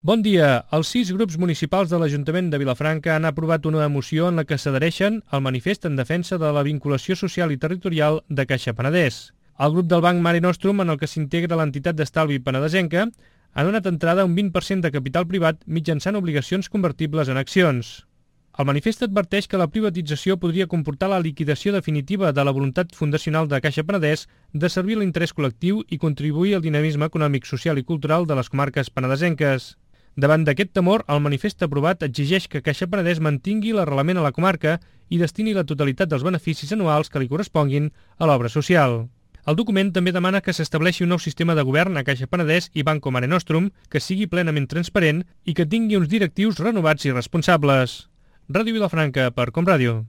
Bon dia. Els 6 grups municipals de l'Ajuntament de Vilafranca han aprovat una moció en la que s'adhereixen al manifest en defensa de la vinculació social i territorial de Caixa Penedès. El grup del Banc Mare Nostrum, en el que s'integra l'entitat d'estalvi penedesenca, ha donat entrada a un 20% de capital privat mitjançant obligacions convertibles en accions. El manifest adverteix que la privatització podria comportar la liquidació definitiva de la voluntat fundacional de Caixa Penedès de servir l'interès col·lectiu i contribuir al dinamisme econòmic, social i cultural de les comarques penedesenques. Davant d'aquest temor, el manifest aprovat exigeix que Caixa Penedès mantingui l'arrelament a la comarca i destini la totalitat dels beneficis anuals que li corresponguin a l'obra social. El document també demana que s'estableixi un nou sistema de govern a Caixa Penedès i Banco Mare Nostrum que sigui plenament transparent i que tingui uns directius renovats i responsables. Ràdio Vilafranca per Com Ràdio.